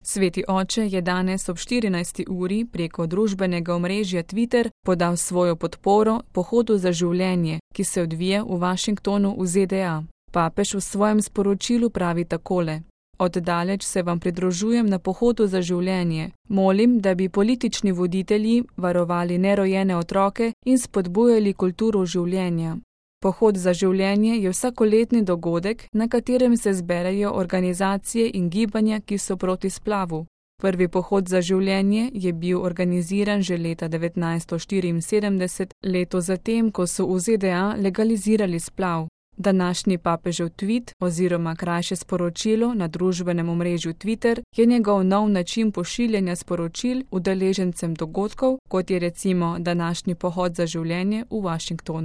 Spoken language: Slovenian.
Sveti oče je danes ob 14. uri preko družbenega omrežja Twitter podal svojo podporo Pohodu za življenje, ki se odvija v Washingtonu v ZDA. Papež v svojem sporočilu pravi takole: Oddaleč se vam pridružujem na Pohodu za življenje. Molim, da bi politični voditelji varovali nerojene otroke in spodbujali kulturo življenja. Pohod za življenje je vsakoletni dogodek, na katerem se zberejo organizacije in gibanja, ki so proti splavu. Prvi pohod za življenje je bil organiziran že leta 1974, leto zatem, ko so v ZDA legalizirali splav. Današnji papežev tweet oziroma krajše sporočilo na družbenem omrežju Twitter je njegov nov način pošiljanja sporočil udeležencem dogodkov, kot je recimo današnji pohod za življenje v Washingtonu.